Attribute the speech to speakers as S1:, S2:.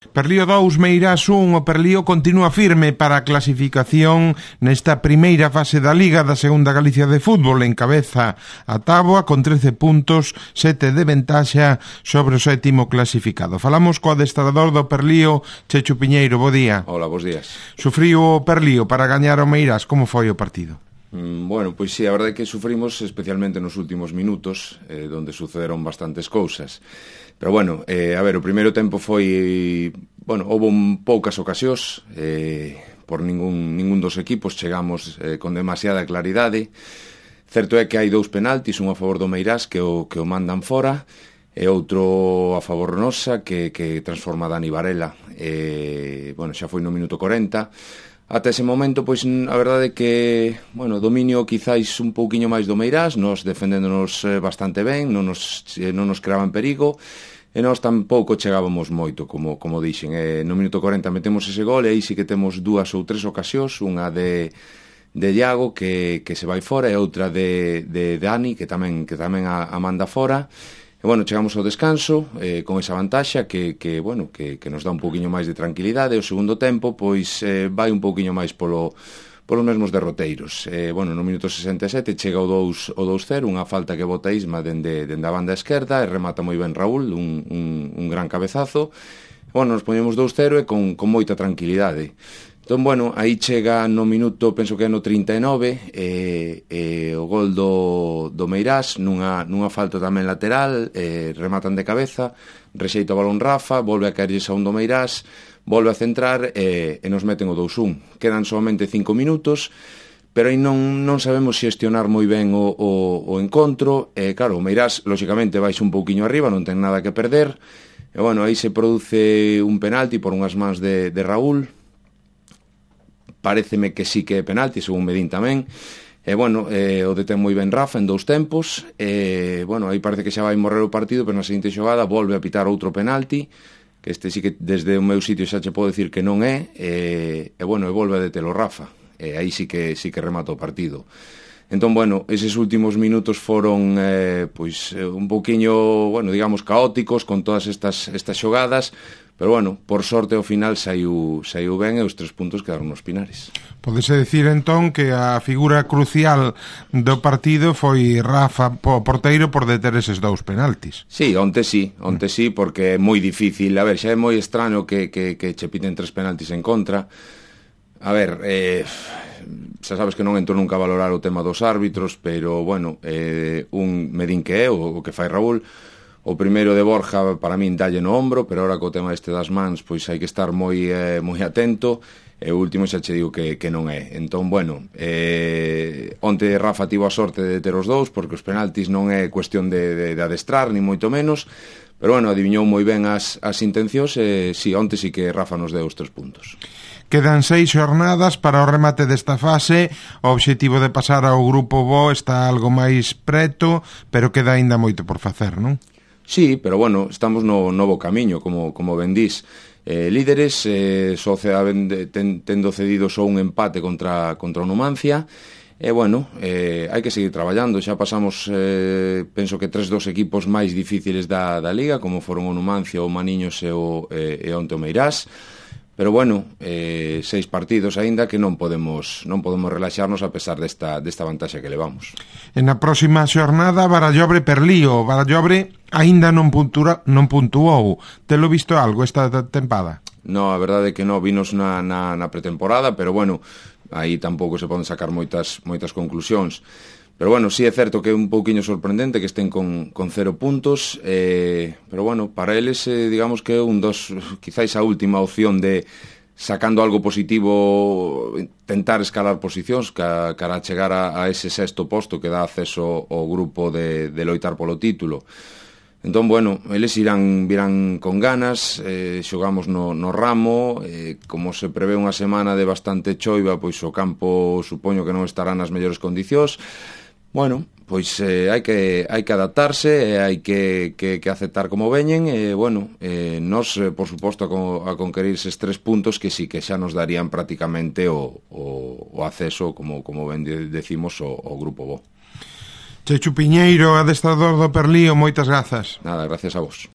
S1: Perlío 2, Meirás 1, o Perlío continúa firme para a clasificación nesta primeira fase da Liga da Segunda Galicia de Fútbol. Encabeza a táboa con 13 puntos, 7 de ventaxa sobre o sétimo clasificado. Falamos co adestrador do Perlío, Chechu Piñeiro, bo día.
S2: Hola, bos días.
S1: Sufriu o Perlío para gañar o Meirás, como foi o partido?
S2: Bueno, pois sí, a verdade é que sufrimos especialmente nos últimos minutos, donde sucederon bastantes cousas. Pero bueno, a ver, o primeiro tempo foi... Bueno, houve poucas ocasións, por ningún dos equipos chegamos con demasiada claridade. Certo é que hai 2 penaltis, un a favor do Meirás que o mandan fora, e outro a favor nosa que transforma Dani Varela. Bueno, xa foi no minuto 40. Ata ese momento, pois, a verdade é que, bueno, dominio quizáis un pouquiño máis do Meirás, nos defendéndonos bastante ben, non nos creaban perigo, e nós tampouco chegábamos moito, como dixen. No minuto 40 metemos ese gol, e aí sí que temos 2 ou 3 ocasións, unha de Iago, que se vai fora, e outra de Dani, que tamén a manda fora. E, bueno, chegamos ao descanso con esa vantaxa que nos dá un pouquiño máis de tranquilidade. O segundo tempo, pois, vai un pouquiño máis polos mesmos derroteiros. Bueno, no minuto 67 chega o 2-0, unha falta que bota Isma dende a banda esquerda, e remata moi ben Raúl, un gran cabezazo. Bueno, nos poñemos 2-0 e con moita tranquilidade. Entón, bueno, aí chega no minuto, penso que é no 39, o gol do Meirás, nunha falta tamén lateral, rematan de cabeza, rexeita o balón Rafa, volve a caerlle a un do Meirás, volve a centrar e nos meten o 2-1. Quedan solamente 5 minutos, pero aí non sabemos xestionar moi ben o encontro. Claro, o Meirás, lóxicamente, baixa un pouquiño arriba, non ten nada que perder, e, bueno, aí se produce un penalti por unhas mans de Raúl. Paréceme que sí que é penalti, según Medín tamén. E, bueno, o detén moi ben Rafa en 2 tempos. Bueno, aí parece que xa vai morrer o partido, pero na seguinte xogada volve a pitar outro penalti, que este sí que desde o meu sitio xa che podo dicir que non é. E, bueno, e volve a detelo Rafa. Aí sí que remata o partido. Entón, bueno, eses últimos minutos foron pois un pouquiño, bueno, digamos, caóticos con todas estas xogadas, pero, bueno, por sorte ao final saiu ben e os 3 puntos quedaron nos Pinares.
S1: Podese dicir, entón, que a figura crucial do partido foi Rafa, porteiro, por deter eses 2 penaltis.
S2: Sí, onte sí, porque é moi difícil. A ver, xa é moi extraño que che piten 3 penaltis en contra. A ver, xa sabes que non entro nunca a valorar o tema dos árbitros, pero, bueno, un Medín que é, o que fai Raúl. O primeiro de Borja, para min, dalle no ombro, pero ahora co tema este das mans, pois hai que estar moi atento. E o último xa che digo que non é. Entón, bueno, onte Rafa tivo a sorte de ter os 2, porque os penaltis non é cuestión de adestrar, ni moito menos, pero, bueno, adiviñou moi ben as intencións, e sí, onte sí que Rafa nos deu os 3 puntos.
S1: Quedan 6 xornadas para o remate desta fase. O obxectivo de pasar ao grupo bo está algo máis preto, pero queda aínda moito por facer, non?
S2: Sí, pero, bueno, estamos no novo camiño, como ben dís. Líderes, tendo cedido só un empate contra o Numancia. E, bueno, hai que seguir traballando. Xa pasamos, penso que 3 dos equipos máis difíciles da Liga, como foron o Numancia, o Maniños e onte o Meirás. Pero, bueno, 6 partidos aínda que non podemos relaxarnos a pesar desta vantaxe que levamos.
S1: En a próxima xornada, Barallobre Perlío. Barallobre aínda non puntuou. Telo visto algo esta tempada?
S2: No, a verdade é que non, vinos na pretemporada, pero, bueno, aí tampouco se poden sacar moitas conclusións. Pero, bueno, sí é certo que é un pouquiño sorprendente que estén con 0 puntos, pero, bueno, para eles, digamos que é quizáis a última opción de, sacando algo positivo, tentar escalar posicións cara a chegar a ese 6º posto que dá acceso ao grupo de loitar polo título. Entón, bueno, eles virán con ganas, xogamos no Ramo, como se prevé unha semana de bastante choiva, pois o campo supoño que non estará nas mellores condicións. Bueno, pois hai que adaptarse, hai que aceptar como veñen, e, bueno, nos, por suposto, a conquerir eses 3 puntos que sí que xa nos darían prácticamente o acceso, como ben decimos, ao grupo bo.
S1: Chechu Piñeiro, adestrador do Perlío, moitas grazas.
S2: Nada, gracias a vos.